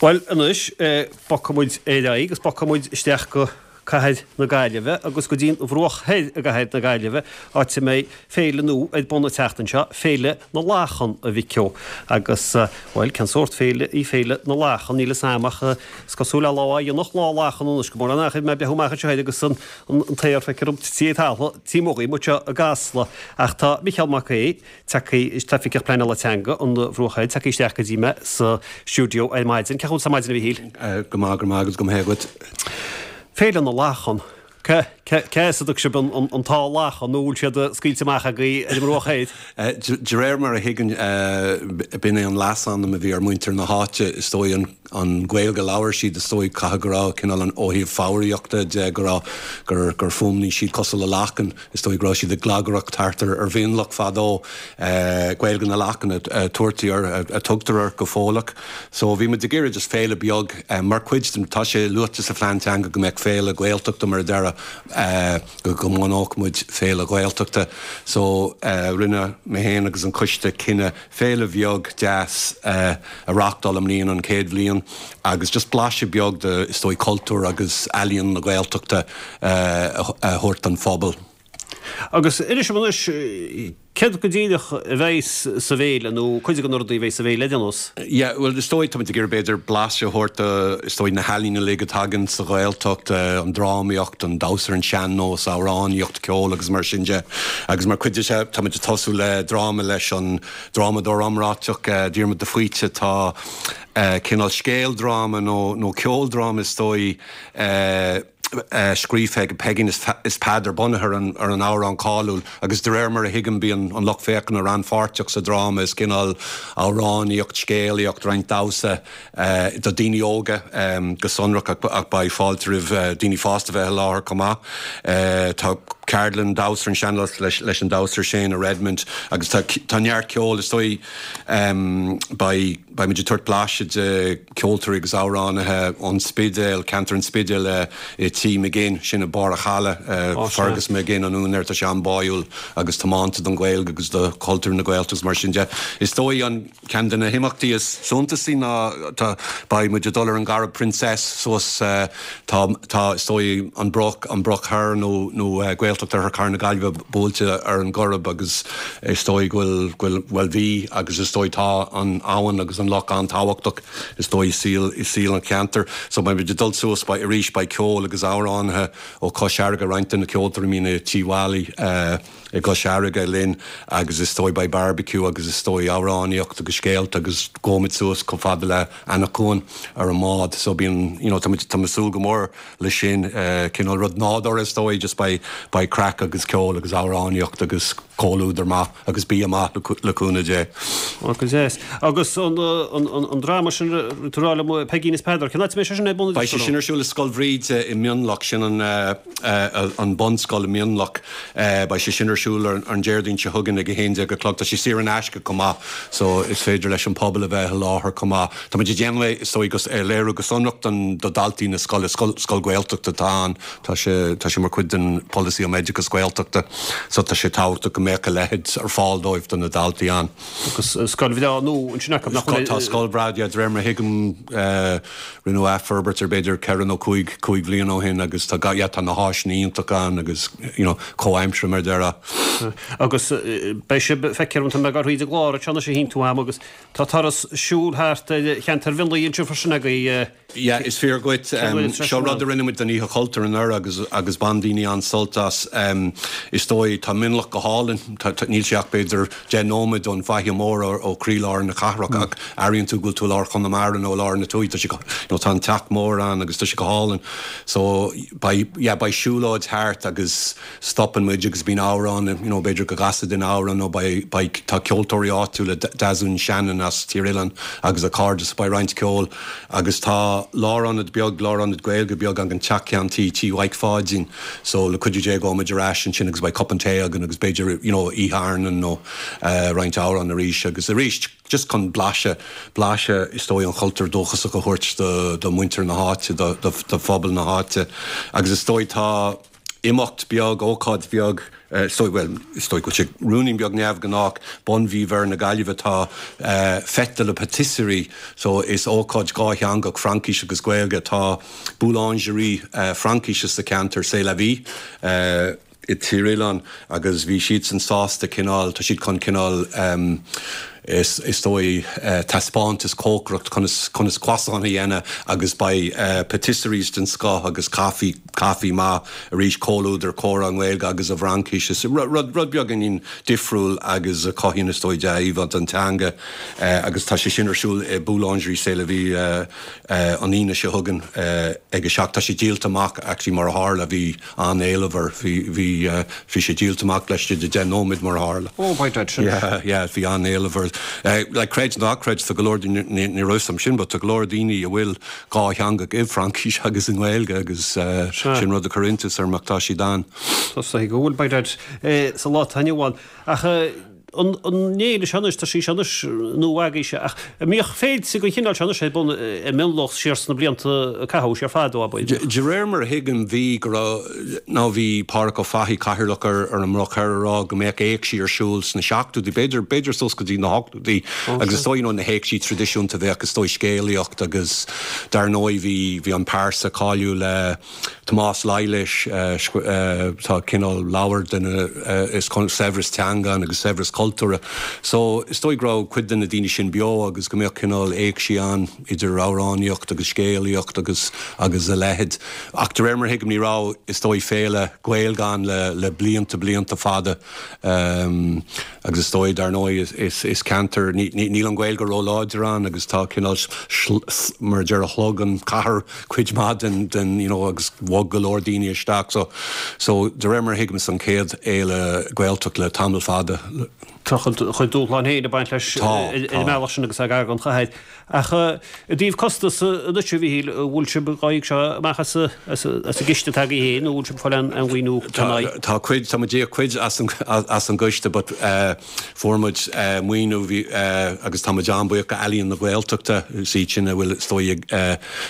Bhuel anois, bogfaidh muid ar aghaidh agus bogfaidh muid isteach go cathair na Gaillimhe agus go dtí an Bhruach Thoir i gcathair na Gaillimhe, áit a mbeidh féile nua ar bun an tseachtain seo, Féile na Lachan, a Mhic Ó. Agus, bhuel, cén sórt féile í Féile na Lachan? Níl 'fhios a'm ach is cosúil le lá dhéanach lá lachan anois, go mór an achair mé ag breathnú amach anseo air agus an t-aer feictear dom tití ag talamh taobh amuigh dhíom anseo i gCasla. Ach tá Micheál Mac Aoidh, tagtha, Oifigeach Pleanála Teanga an Bhruach Thoir, tagtha isteach go dtí mé sa stiúideo ar maidin. Cén chaoi a bhfuil tú ar maidin, a Mhichíl? Go maith, go maith agus go maith agat. Féile na Lachan. Cé as a dtug sibh an t-ádh lachan nó bhfuil siad scaoilte amach agaibh ar an mBruach Thoir? De réir mar a thuigim, b'in é an leasainm a bhí ar muintir na háite, is dóigh, an Ghaeilge a labhair siad, is dóigh, caithfidh go raibh cineál an, ó thaobh foghraíochta de, go raibh, gur, gur fuaimnigh siad cosúil le lachan. Is dóigh go raibh siad ag glagaireacht thart ar Mhionlach fadó. Gaeilge na Lachan a tabhartaí air, a tugtar air go fóilleach. So bhí muid ag iarraidh just féile beag mar chuid den, tá sé luaite sa phlean teanga go mbeadh féile Gaeltachta mar a déarfá, go mbunódh muid féile Ghaeltachta. So rinne mé féin agus an coiste cinneadh féile bheag deas a reáchtáil i mbliana, an chéad bhliain, agus just blaiseadh beag de, is dóigh, cultúr agus ealaíon na Gaeltachta a thabhairt don phobal. Agus inis dom anois, céard go díreach a bheidh sa bhféile, nó cuid de na rudaí a bheidh sa bhféile ar aon nós? Yeah, bhuel, is dóigh, táimid ag iarraidh b'fhéidir blaiseadh a thabhairt de, is dóigh, na healaíona uilig atá againn sa Ghaeltacht, an drámaíocht, an damhsa ar an sean-nós, amhránaíocht, ceol agus mar sin de. Agus mar chuid de seo, táimid ag tosú le dráma leis an drámadóir iomráiteach, Diarmuid de Faoite. Tá cineál scéaldráma nó nó ceoldráma is dóigh, scríofa aige, Peigín is Peadar, bunaithe ar an ar an amhrán cáiliúil agus de réir mar a thuigim bíonn an lucht féachana rannpháirteach sa dráma, is cineál amhránaíocht, scéalaíocht, roinnt damhsa do daoine óga go sonrach ach beidh fáilte roimh daoine fásta bheith i láthair chomh maith. Tá ceardlann damhsa ar an sean-nós leis an damhsóir Shana Redmond agus tá tá neart ceoil is dóigh beidh Beidh muid ag tabhairt blaiseadh de ceoltóirí agus amhránaithe ón Spidéal, ceantar an Spidéil i Tí McGinn, sin i mBarr a' Chalaidh. Fergus McGinn an úinéir, tá sé an-bháúil agus tiomanta don Ghaeilge agus do chultúr na Gaeltachta agus mar sin de. Is dóigh an ceann de na himeachtaí is suntasaí ná tá, beidh muid ag dul ar an gCorrib Princess suas, tá, tá, is dóigh an Bruach, an Bruach Thoir nó, nó Gaeltacht Oirthear Chathair na Gaillimhe buailte ar an gCorrib agus Is dóigh go bhfuil, go bhfuil, bhuel bhí agus is dóigh tá an abhainn agus an loch an-tábhachtach is dóigh i saol, i saol an cheantair. So beidh muid ag dul suas, beidh, arís beidh ceol agus amhránaithe ó Chois Fharraige, roinnt de na ceoltóirí a mbíonn i Tí Mholly i gCois Fharraige linn agus is dóigh beidh barbecue agus is dóigh amhránaíocht agus scéalta agus gabhfaidh muid suas chomh fada le Eanach Cuain ar an mbád. So bíonn, you know, tá muid, tá muid ag súil go mór leis sin, cineál rud nádúrtha is dóigh, just beidh, beidh craic agus ceol agus amhránaíocht agus comhluadar maith agus bia maith le cúnamh Dé. Ó go deas. Agus an, an, an dráma sin tú ag rá liom, Peigín is Peadar, cén áit a mbeidh sé sin ar bun? Beidh sé sin ar siúl i Scoil Bhríde i Mionlach, sin an, an bunscoil i Mionlach. Beidh sé sin ar siúl ar an Déardaoin seo chugainn ag 11 a chlog. Tá sé saor in aisce chomh maith so is féidir leis an pobal a bheith i láthair chomh maith. Tá muid ag déanamh é, is dóigh, go, é a léiriú go sonrach don, do dhaltaí na scoile. Scoil, scoil Ghaeltachta atá ann. Tá sé, tá sé mar chuid den pholasaí um oideachas Gaeltachta so tá sé tábhachtach go mbeadh a leithéid ar fáil dóibh, do na daltaí ann. Agus scoil bhreá nua ansin acu, nach bhfuil? Tá scoil bhreá, yeah, de réir mar a thuigim, rinneadh athfhorbairt air b'fhéidir ceithre nó cúig, cúig bhliain ó shin agus tá, yeah, tá na háiseanna iontacha ann agus, you know, comhaimseartha mar a déarfá. Agus beidh sibh, feictear dom, tá mé ag gabháil thríd an gclár anseo anois a shín tú a'm agus Tá turas siúil thart ar cheantar Mhionlaigh anseo freisin agaibh. Yeah, is fíor dhuit. Seo rud a rinne muid don Oíche Chultúir anuraidh agus agus bhain daoine an-sult as. Is dóigh, tá Mionlach go hálainn. Níl sé ach b'fhéidir 10 nóiméad ón bhFaiche Mhór ó chroílár na cathrach ach airíonn tú go bhfuil tú i lár Chonamara nó i lár na tuaithe. Tá sé go, you know, tá an teach mór ann agus tá sé go hálainn. So, beidh, yeah, beidh siúlóid thart agus stopann muid agus bíonn amhrán, you know, b'fhéidir go gcasfaidh duine amhrán nó beidh, beidh, tá ceoltóirí áitiúla, Deasún Shannon as Tír Oileáin agus a cairde so beidh roinnt ceoil agus tá lárionad beag, lárionad Gaeilge beag againn, Teach Ceann Tí, Tí Mhaidhc Pháidín so le cuidiú Dé gabhfaidh muid ar ais ansin agus beidh cupán tae againn agus b'fhéidir, you know, oíche airneáin nó roinnt amhrán arís agus arís just chun blaiseadh, blaiseadh is dóigh an chultúir dúchasach a thabhairt do, do mhuintir na háite, do, do, do phobal na háite agus is dóigh tá. imeacht beag, ócáid bheag. Is dóigh, bhuel, is dóigh go bhfuil sé ruainnín beag neamhghnách, bun-mhí Mhuire na Gaillimhe tá Fête de la Pâtisserie, so is ócáid dhátheangach, Fraincis agus Gaeilge, tá boulangerie Fraincise sa cheantar, C'est la Vie, i Tír Oileáin agus bhí siadsan sásta cineál, tá siad chun cineál is dóigh taispeántas cócaireacht conas, conas croissant a dhéanamh agus beidh pâtisseries den scoth agus caife, caife maith arís, comhluadar, comhrá i nGaeilge agus i bhFraincis. Is rud, rud beagáinín difriúil agus a chothaíonn is dóigh dea-íomhá don teanga agus tá sé sin ar siúl i Boulangerie C'est la Vie an Aoine seo chugainn ag a 7. Tá sé díolta amach actually mar a tharla, bhí an-éileamh air. Bhí, bhí, bhí sé díolta amach laistigh de 10 nóiméad mar a tharla. Oh, by dad, sin. Yeah, yeah, bhí an-éileamh air. Like, creid nó ná creid, tá go leor daoine, ní, ní raibh 'fhios a'm sin, but tá go leor daoine a bhfuil dhátheangach i bhFraincis agus i nGaeilge agus sin rud a chuir iontas orm ach tá siad ann. Tá sé go bhfuil, by dad, sa lá atá inniu ann. Ach an fhéile seo anois, tá sí seo anois nua agaibhse, ach an mbíodh féilte den chineál seo anois ar bun i Mionlach siar sna blianta a caitheadh siar fadó, ab ea? De réir mar a thuigim, bhí, go raibh, nó bhí Pádhraic Ó Fathaigh, cathaoirleach ar ar an mBruach Thoir a rá go mbeadh éigsí ar siúl sna seachtóidí, b'fhéidir, b'fhéidir suas go dtí na hochtóidí agus is dóigh, you know, na héigsí traidisiúnta bheadh is dóigh scéalaíocht agus dar ndóigh bhí, bhí an pearsa cáiliúil, Tomás Laighléis, tá cineál leabhar de na, is saibhreas teanga ann agus saibhreas cultúrtha. So, is dóigh go raibh cuid de na daoine sin beo agus go mbeadh cineál éigsí ann idir amhránaíocht agus scéalaíocht agus agus a leithéid. Ach de réir mar a thuigim ní raibh, is dóigh, féile Gaeilge ann le le blianta blianta fada. Agus is dóigh, dar ndóigh, is ceantar, níl an Ghaeilge róláidir ann agus tá cineál, mar a déarfá, shlog an chathair cuid maith den, den, you know, agus bhog go leor daoine isteach. So, so de réir mar a thuigim is an chéad fhéile Gaeltacht le tamall fada. Tá a chuid dúshlán féin ag baint leis ar an mbealach sin agus é gar don chathair. Ach i dtaobh costas anois, a Mhichíl, an bhfuil sibh dhá íoc seo amach as an gciste atá agaibh féin nó an bhfuil sibh ag fáil aon mhaoiniú ina aghaidh? Tá cuid, tá muid ag íoc cuid as an gcoiste but fuair muid maoiniú agus tá muid an-bhuíoch go Ealaíon na Gaeltachta, is iad sin a bhfuil is dóigh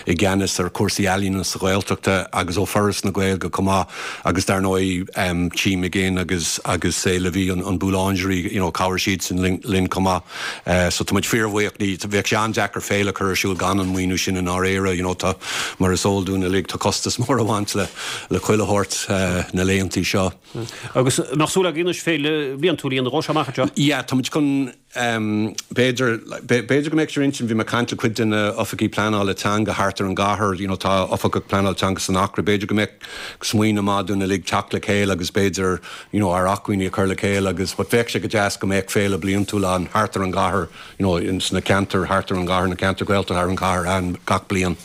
i gceannas ar chúrsaí ealaíona sa Ghaeltachta agus ó Foras na Gaeilge chomh maith agus dar ndóigh Tí McGinn agus agus C'est la Vie an Boulangerie you know chabhraigh siadsan linn chomh maith. So tá muid fíorbhuíoch. Ní, bheadh sé an-deacair féile a chur ar siúl gan an maoiniú sin i ndáiríre. You know tá, mar is eol dúinn uilig, tá costas mór ag baint le, le chuile shórt na laethantaí seo. Agus an mbeadh súil agaibh anois féile bhliantúil a dhéanamh dhó seo amach anseo? Yeah, tá muid chun, b'fhéidir, b'fhéidir go mbeadh sé ar intinn, bhí mé ag caint le cuid de na oifigigh pleanála teanga thart ar an gcathair, you know tá oifigeach pleanála teanga san Acra, b'fhéidir go mbeadh smaoineamh maith dúinn uilig teacht le chéile agus b'fhéidir, you know, ár acmhainní a chur le chéile agus, but bheadh sé go deas go mbeadh féile bliantúil ann thart ar an gcathair, you know, in sna ceantair thart ar an gcathair, na ceantair Ghaeltachta thar an chathair ann gach bliain.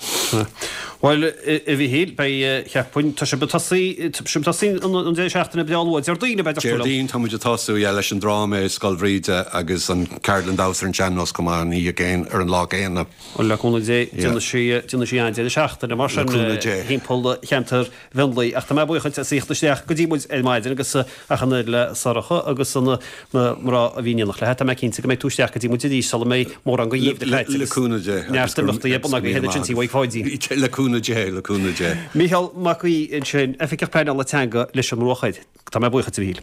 Bhuel, a Mhichíl, beidh, cheapfainn, tá sibh ag tosaí, tá sibh ag tosaí an deireadh seachtaine breá luath, Déardaoin, ab ea, deir tú liom? Déardaoin tá muid ag tosú, yeah, leis an dráma i Scoil Bhríde agus an ceardlann damhsa ar an sean-nós chomh maith an oíche céanna, ar an lá céanna. Bhuel, le cúnamh Dé, déanfaidh sí, déanfaidh sí an-deireadh seachtaine mar sin, thimpeall cheantar Mhionlaigh. Ach tá mé buíoch duit as a thíocht isteach go dtí muid ar maidin agus ach an oiread le Sorcha agus na mná a bhí in éineacht léi. Tá mé cinnte go mbeidh tú isteach go dtí muid arís sula mbeidh mórán den gheimhreadh caite agus neart imeachtaí ar bun agaibh ansin tí Mhaigh Pháidín. Le cúnamh Dé, le cúnamh Dé. Mícheál Mac Aoidh ansin, Oifigeach Pleanála Teanga leis an mBruach Thoir. Tá mé buíoch duit, a Mhichíl.